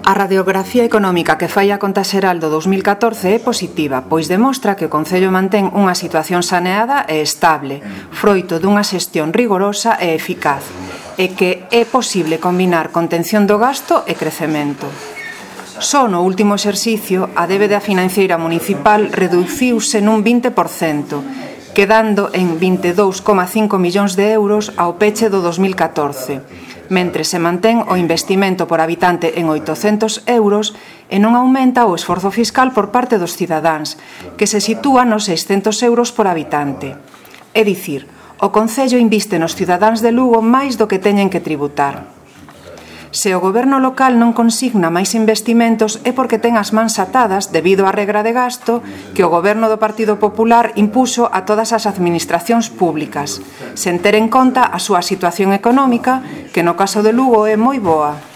A radiografía económica que fai a Conta Xeral do 2014 é positiva, pois demostra que o Concello mantén unha situación saneada e estable, froito dunha xestión rigorosa e eficaz, e que é posible combinar contención do gasto e crecemento. Só no último exercicio, a débeda financeira municipal reduciuse nun 20%, quedando en 22,5 millóns de euros ao peche do 2014, mentre se mantén o investimento por habitante en 800 euros e non aumenta o esforzo fiscal por parte dos cidadáns, que se sitúa nos 600 euros por habitante. É dicir, o Concello inviste nos cidadáns de Lugo máis do que teñen que tributar. Se o goberno local non consigna máis investimentos é porque ten as mans atadas debido á regra de gasto que o goberno do Partido Popular impuxo a todas as administracións públicas, sen ter en conta a súa situación económica, que no caso de Lugo é moi boa.